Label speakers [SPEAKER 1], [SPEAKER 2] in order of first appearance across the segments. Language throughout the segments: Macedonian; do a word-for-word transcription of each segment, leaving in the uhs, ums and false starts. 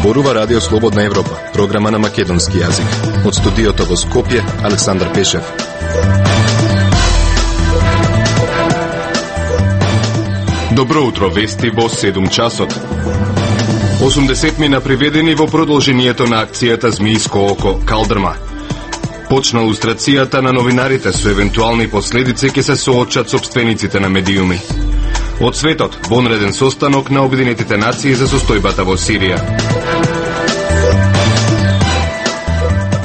[SPEAKER 1] Зборува Радио Слободна Европа, програма на македонски јазик. Од студиото во Скопје, Александар Пешев.
[SPEAKER 2] Добро утро, вести во седум часот. осумдесет мина приведени во продолжението на акцијата Змијско око, Калдрма. Почна лустрацијата на новинарите со евентуални последици ќе се соочат сопствениците на медиуми. Од светот, вонреден состанок на Обединетите нации за состојбата во Сирија.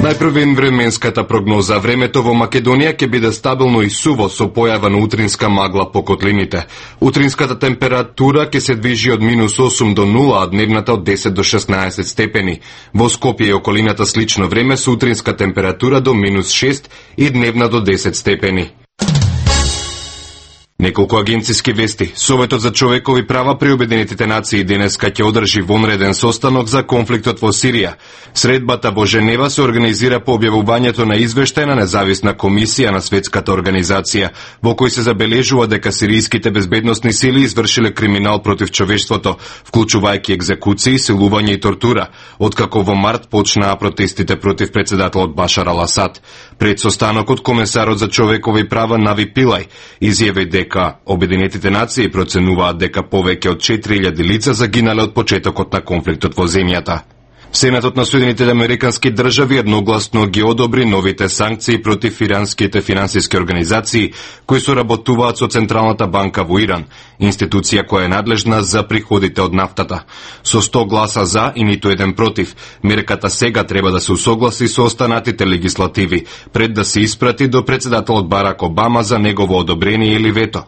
[SPEAKER 2] Најпрвен временската прогноза. Времето во Македонија ќе биде стабилно и суво со појава на утринска магла по котлините. Утринската температура ќе се движи од минус осум до нула, а дневната од десет до шеснаесет степени. Во Скопје и околината слично време со утринска температура до минус шест и дневна до десет степени. Неколку агенциски вести. Советот за човекови права при Обединетите нации денеска ќе одржи вонреден состанок за конфликтот во Сирија. Средбата во Женева се организира по објавувањето на извештај на независна комисија на Светската организација, во кој се забележува дека сиријските безбедносни сили извршиле криминал против човештвото, вклучувајќи екзекуции, силување и тортура, откако во март почнаа протестите против председателот Башар ал Асад. Пред состанокот, комесарот за човекови права Нави Пилај изјави дека дека Обединетите нации проценуваат дека повеќе од четири илјади лица загинале од почетокот на конфликтот во земјата. Сенатот на Соединетите американски држави едногласно ги одобри новите санкции против иранските финансиски организации кои соработуваат со Централната банка во Иран, институција која е надлежна за приходите од нафтата. Со сто гласа за и ниту еден против, мерката сега треба да се усогласи со останатите легислативи, пред да се испрати до председателот Барак Обама за негово одобрение или вето.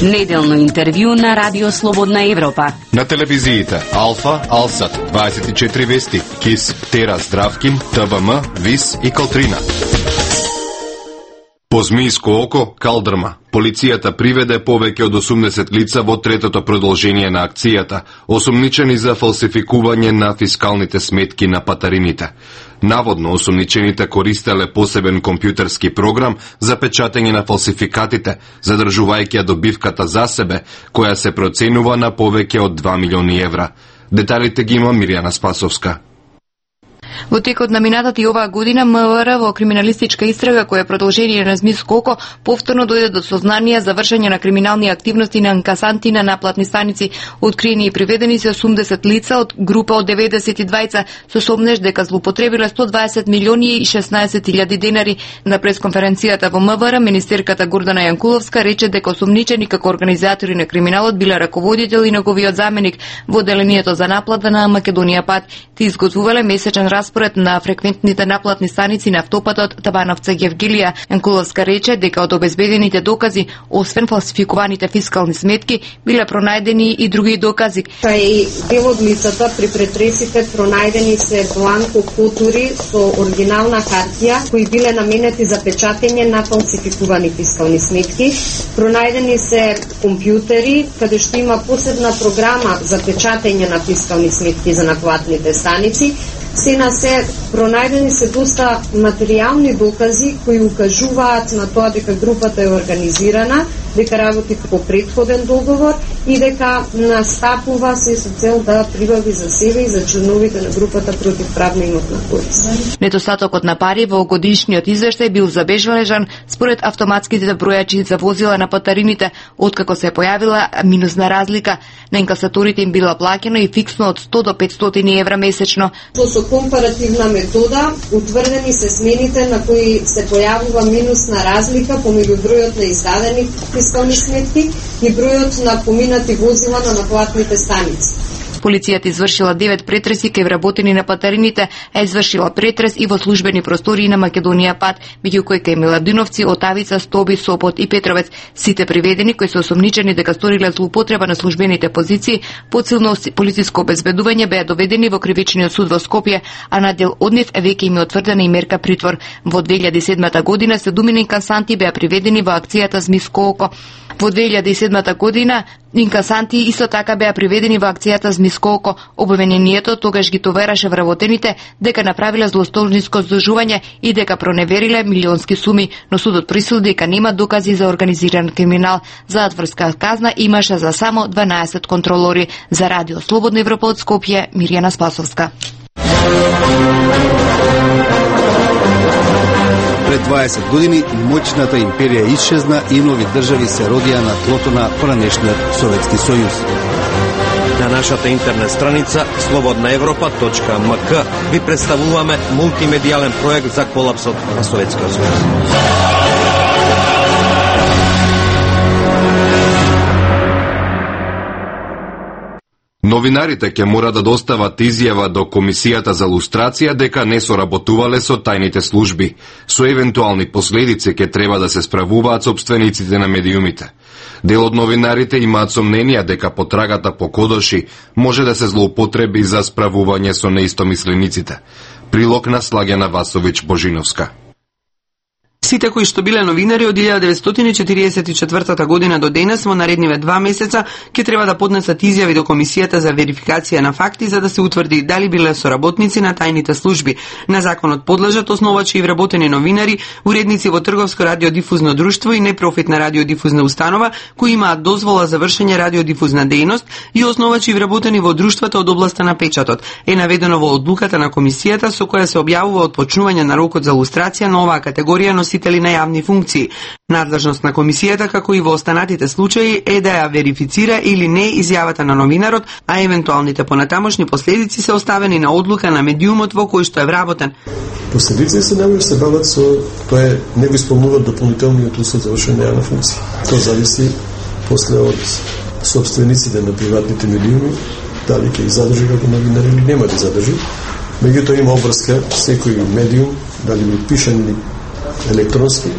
[SPEAKER 3] Неделно интервју на Радио Слободна Европа.
[SPEAKER 2] На телевизиите Алфа, Алсат, дваесет и четири вести, КИС, Тера, Здравкин, ТВМ, ВИС и Калтрина. По Змијско око, Калдрма. Полицијата приведе повеќе од осумдесет лица во третото продолжение на акцијата, осумничени за фалсификување на фискалните сметки на патарините. Наводно, осумничените користеле посебен компјутерски програм за печатење на фалсификатите, задржувајќи ја добивката за себе, која се проценува на повеќе од два милиони евра. Деталите ги има Мирјана Спасовска.
[SPEAKER 4] Во текот на минатата и оваа година МВР во криминалистичка истрага која е продолжение на Змијско око повторно дојде до сознание за вршење на криминални активности на инкасанти на наплатни станици. Откриени и приведени се осумдесет лица од група од деветдесет и двајца со сомнеж дека злоупотребиле сто дваесет милиони и шеснаесет илјади денари. На пресконференцијата во МВР министерката Гордана Јанкуловска рече дека осумничени како организатори на криминалот биле раководител и неговиот заменик во делението за наплата на Македонија Пат. Ти изготвувале месечен распоред на фреквентните наплатни станици на автопатот Табановце-Гевгилија. Јанкуловска рече дека од обезбедените докази, освен фалсификуваните фискални сметки, биле пронајдени и други докази.
[SPEAKER 5] Кај дел од лицата при претресите пронајдени се бланко кутури со оригинална хартија кои биле наменети за печатење на фалсификувани фискални сметки. Пронајдени се компјутери каде што има посебна програма за печатење на фискални сметки за наплатните станици. Сена се пронајдени се доста материјални докази кои укажуваат на тоа дека групата е организирана, дека работи по претходен договор и дека настапува се со цел да прибави за себе и за членовите на групата против правна имотна корист.
[SPEAKER 4] Недостатокот на пари во годишниот извештај бил забележан според автоматските бројачи за возила на патарините, откако се појавила минусна разлика. На инкасаторите им била плаќено и фиксно од сто до петстотини евра месечно.
[SPEAKER 5] Со компаративна метода утврдени се смените на кои се појавува минусна разлика помеѓу бројот на издадени фискални сметки и бројот на поминати возила на наплатните станици.
[SPEAKER 4] Полицијата извршила девет претреси кај вработени на патарините, а извршила претрес и во службени простории на Македонија Пат, меѓу кои кај Миладиновци, Отавица, Стоби, Сопот и Петровец. Сите приведени кои се осомничени дека сториле злоупотреба на службените позиции, подсилно полициско обезбедување беа доведени во кривичниот суд во Скопје, а на дел од нив веќе им е утврдена и мерка притвор. Во две илјади и седма година седумина инкасанти беа приведени во акцијата Змијско око. Во две илјади и седма година инкасанти исто така беа приведени во акцијата Змисколко. Обвинението тогаш ги товераше вработените дека направиле злостолниско зложување и дека проневериле милионски суми, но судот присуди дека нема докази за организиран криминал. Затворска казна имаше за само дванаесет контролори. За Радио Слободна Европа од Скопје, Мирјана Спасовска.
[SPEAKER 6] Пред дваесет години моќната империја исчезна и нови држави се родија на тлото на поранешниот Советски сојуз.
[SPEAKER 7] На нашата интернет страница слободна европа точка ем ка ви представуваме мултимедијален проект за колапсот на Советскиот сојуз.
[SPEAKER 2] Новинарите ќе мора да достават изјава до Комисијата за лустрација дека не соработувале со тајните служби. Со евентуални последици ќе треба да се справуваат сопствениците на медиумите. Дел од новинарите имаат сомненија дека потрагата по кодоши може да се злоупотреби за справување со неистомислениците. Прилог на Слагена Васовиќ Божиновска.
[SPEAKER 8] Сите кои што биле новинари од илјада деветстотини четиридесет и четвртата година до денес во наредниве два месеца ќе треба да поднесат изјави до Комисијата за верификација на факти за да се утврди дали биле соработници на тајните служби. На законот подлежат основачи и вработени новинари, уредници во трговско радиодифузно друштво и непрофитна радиодифузна установа кои имаат дозвола за вршење радиодифузна дејност и основачи и вработени во друштвата од областа на печатот. Е наведено во одлуката на Комисијата со која се објавува отпочнување на рокот за лустрација на оваа категорија носители на јавни функции. Надлежност на Комисијата, како и во останатите случаи, е да ја верифицира или не изјавата на новинарот, а евентуалните понатамошни последици се оставени на одлука на медиумот во кој што е вработен.
[SPEAKER 9] Последици се најмногу се бават со тоа не го исполнуваат дополнителниот услов за вршење на јавна функција. Тоа зависи после од сопствениците на приватните медиуми, дали ќе ги задржи како новинари или нема да ги задржи. Меѓутоа има обврска секој медиум, дали ми пишан или електронски,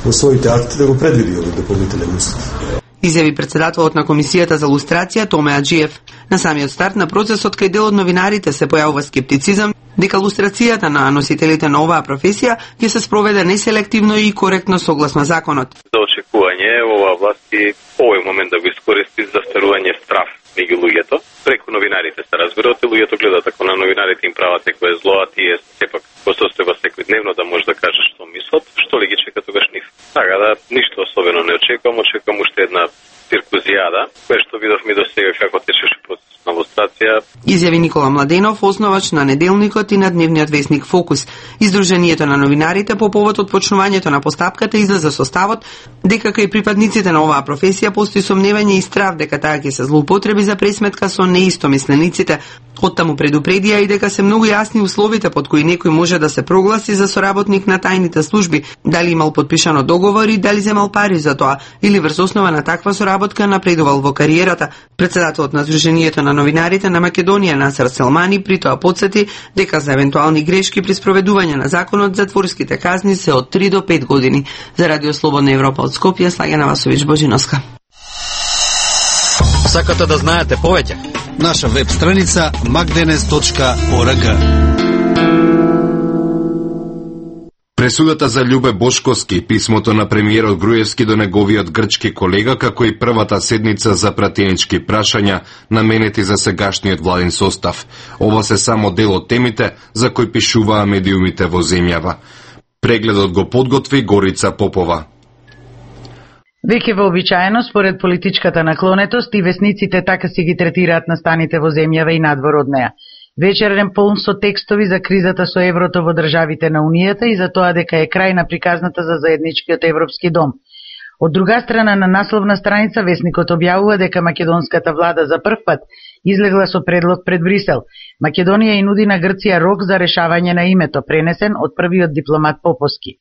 [SPEAKER 9] во своите акти да го предвиди овој дополнителен услов.
[SPEAKER 8] Изјави председателот на Комисијата за лустрација Томе Аџиев. На самиот старт на процесот кај дел од новинарите се појавува скептицизам дека лустрацијата на носителите на оваа професија ќе се спроведе неселективно и коректно согласно законот.
[SPEAKER 10] За очекување оваа власт и овој момент да го искористи за стварување страв меѓу луѓето. Преку новинарите се разбира, и луѓето гледат ако на новинарите им прават некое зло, а тие сепак го состојба секојдневно да може да каже што мислат, што ли ги чека тогаш нив. Така да, ништо особено не очекувам, очекувам уште една циркузијада, која што видовме до сега како течеше процес на лустрација.
[SPEAKER 8] Изјави Никола Младенов, основач на Неделникот и на дневниот весник Фокус. Издруженијето на новинарите по повод од почнувањето на постапката излезе со ставот дека кај припадниците на оваа професија постои сомневање и страв дека таа ќе се злоупотреби за пресметка со неистомислениците. Оттаму предупредија и дека се многу јасни условите под кои некој може да се прогласи за соработник на тајните служби, дали имал подпишано договор и дали земал пари за тоа, или врз основа на таква соработка напредувал во кариерата. Председателот на Сдруженијето на новинарите на Македонија Насер Селмани при тоа потсети дека за евентуални грешки при спроведување на законот затворските казни се од три до пет години. За Радио Слободна Европа од Скопје, Слагена Васовиќ Божиновска.
[SPEAKER 7] Сакате да знаете повеќе?
[SPEAKER 6] Наша веб страница макденес точка орг.
[SPEAKER 2] Пресудата за Љубе Бошковски, писмото на премиерот Груевски до неговиот грчки колега, како и првата седница за пратенички прашања наменети за сегашниот владин состав. Ова се само дел од темите за кои пишуваа медиумите во земјава. Прегледот го подготви Горица Попова.
[SPEAKER 11] Веќе вообичаено, според политичката наклонетост, и весниците така си ги третираат настаните во земјава и надвор од неа. Вечерен полн со текстови за кризата со еврото во државите на Унијата и за тоа дека е крај на приказната за заедничкиот Европски дом. Од друга страна, на насловна страница весникот објавува дека македонската влада за прв пат излегла со предлог пред Брисел. Македонија и нуди на Грција рок за решавање на името, пренесен од првиот дипломат Поповски.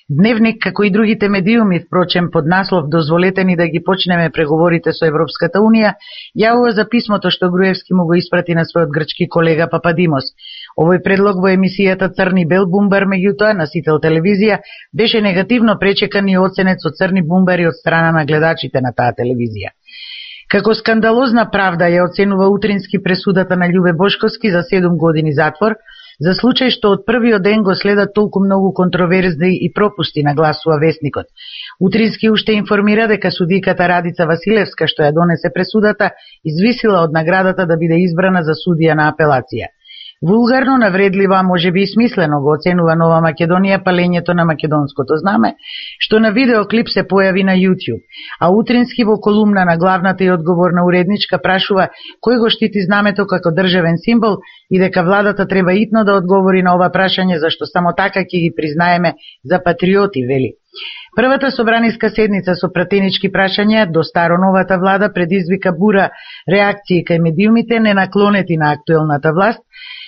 [SPEAKER 11] Дневник, како и другите медиуми, впрочем, под наслов "Дозволете ни да ги почнеме преговорите со Европската Унија", јавува за писмото што Груевски му го испрати на својот грчки колега Пападимос. Овој предлог во емисијата Црни бел бумбар, меѓутоа, носител телевизија, беше негативно пречекан и оценет со црни бумбари од страна на гледачите на таа телевизија. Како скандалозна правда ја оценува утрински пресудата на Љубе Бошковски за седум години затвор, За случај што од првиот ден го следат толку многу контроверзи и пропусти, нагласува весникот. Утрински уште информира дека судиката Радица Василевска, што ја донесе пресудата, извисила од наградата да биде избрана за судија на апелација. Вулгарно, навредливо, а можеби и смислено го оценува Нова Македонија палењето на македонското знаме, што на видеоклип се појави на YouTube, а утрински во колумна на главната и одговорна уредничка прашува кој го штити знамето како државен символ и дека владата треба итно да одговори на ова прашање, зашто само така ќе ги признаеме за патриоти, вели. Првата собраниска седница со пратенички прашања до старо-новата влада предизвика бура реакции кај медиумите ненаклонети на актуелната власт.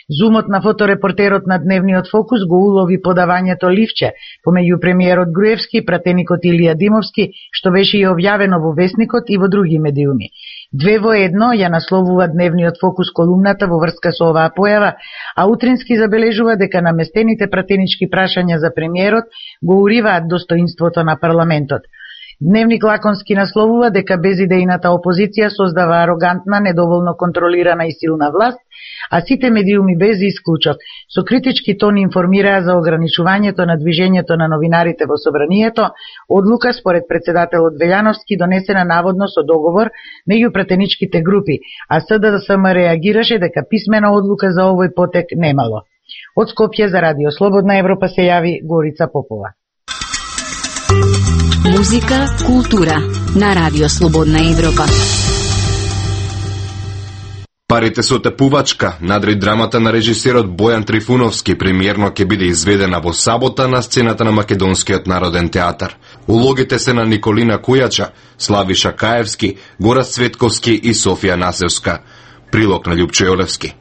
[SPEAKER 11] Зумот на фоторепортерот на Дневниот фокус го улови подавањето ливче помеѓу премиерот Груевски и пратеникот Илија Димовски, што беше и објавено во Весникот и во други медиуми. Две во едно ја насловува Дневниот фокус колумната во врска со оваа појава, а утрински забележува дека наместените пратенички прашања за премиерот го уриваат достоинството на парламентот. Дневник лаконски насловува дека безидејната опозиција создава арогантна, недоволно контролирана и силна власт, а сите медиуми без исклучок со критички тон информираа за ограничувањето на движењето на новинарите во собранието, одлука според председателот Велјановски донесена наводно со договор меѓу пратеничките групи, а СДСМ реагираше дека писмена одлука за овој потек немало. Од Скопје за Радио Слободна Европа се јави Горица Попова.
[SPEAKER 3] Музика, култура на Радио Слободна Европа.
[SPEAKER 2] Парите со тепувачка, надри драмата на режисерот Бојан Трифуновски, премиерно ќе биде изведена во сабота на сцената на Македонскиот народен театар. Улогите се на Николина Кујача, Славиша Каевски, Горас Цветковски и Софија Насевска. Прилог на Љупчо Јолевски.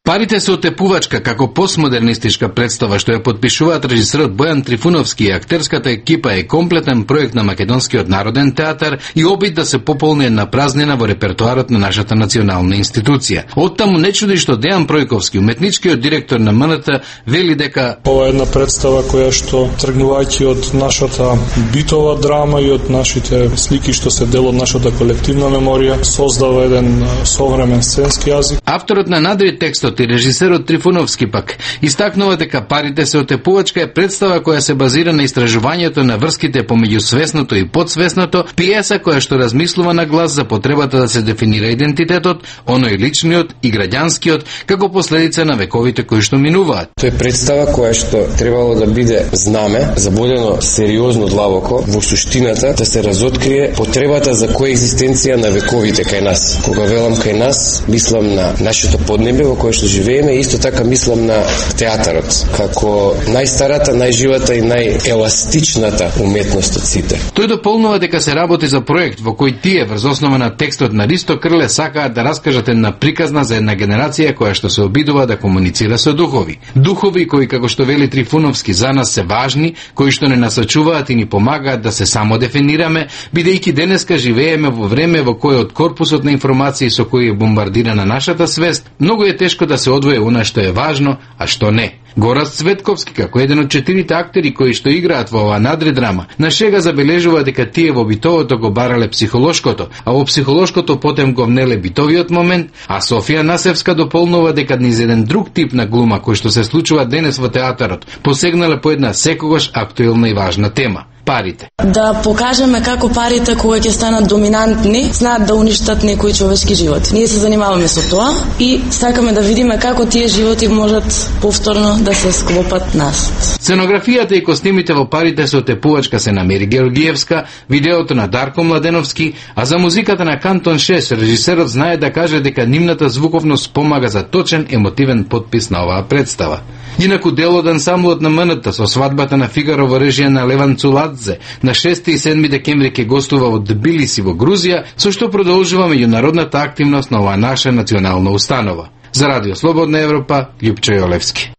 [SPEAKER 12] Парите се отепувачка како постмодернистичка представа што ја подпишуваат режисерот Бојан Трифуновски и актерската екипа е комплетен проект на Македонскиот народен театар и обид да се пополни една празнина во репертоарот на нашата национална институција. Оттаму не чуди што Дејан Пројковски, уметничкиот директор на МНТ, вели дека
[SPEAKER 13] ова е една представа која што тргнувајќи од нашата битова драма и од нашите слики што се дел од нашата колективна меморија, создава еден современ сценски јазик.
[SPEAKER 12] Авторот на надри текстот и режисерот Трифуновски пак истакнува дека Парите се отепувачка е представа која се базира на истражувањето на врските помеѓу свесното и подсвесното, пиеса која што размислува на глас за потребата да се дефинира идентитетот, оној личниот и граѓанскиот, како последица на вековите кои што минуваат.
[SPEAKER 14] Тоа е представа која што требало да биде знаме, забодено сериозно длабоко во суштината да се разоткрие потребата за коегзистенција на вековите кај нас. Кога велам кај нас, мислам на нашето поднебе во кое што живееме, исто така мислам на театарот, како најстарата, најживата и најеластичната уметност од сите.
[SPEAKER 12] Тој дополнува дека се работи за проект во кој тие, врз основа на текстот на Ристо Крле, сакаат да раскажат една приказна за една генерација која што се обидува да комуницира со духови. Духови кои, како што вели Трифуновски, за нас се важни, кои што не насочуваат и ни помагаат да се самодефинираме, бидејќи денеска живееме во време во кое од корпусот на информации со кои е бомбардирана нашата свест, многу е тешко да се одвои она што е важно, а што не. Горас Цветковски, како еден од четирите актери кои што играат во оваа надредрама, на шега забележува дека тие во битовото го барале психолошкото, а во психолошкото потем го внеле битовиот момент, а Софија Насевска дополнува дека низ еден друг тип на глума кој што се случува денес во театарот, посегнале по една секогаш актуелна и важна тема. Парите.
[SPEAKER 15] Да покажеме како парите кога ќе станат доминантни, знаат да уништат некој човечки живот. Ние се занимаваме со тоа и сакаме да видиме како тие животи можат повторно да се склопат нас.
[SPEAKER 12] Сценографијата и костимите во Парите се отепувачка се на Мери Георгиевска, видеото на Дарко Младеновски, а за музиката на Кантон шест режисерот знае да каже дека нивната звуковност помага за точен емотивен подпис на оваа представа. Инаку дел од ансамблот на МНТ со свадбата на Фигаро во режија на Леван Цуладзе на шести и седми декември ќе гостува во Тбилиси во Грузија, со што продолжува меѓународната активност на оваа наша национална установа. За Радио Слободна Европа, Љупчо Јолевски.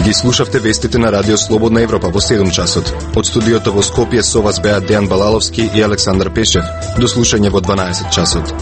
[SPEAKER 1] Ги слушавте вестите на Радио Слободна Европа во седум часот. Од студиото во Скопје со вас беа Дејан Балаловски и Александар Пешев. До слушање во дванаесет часот.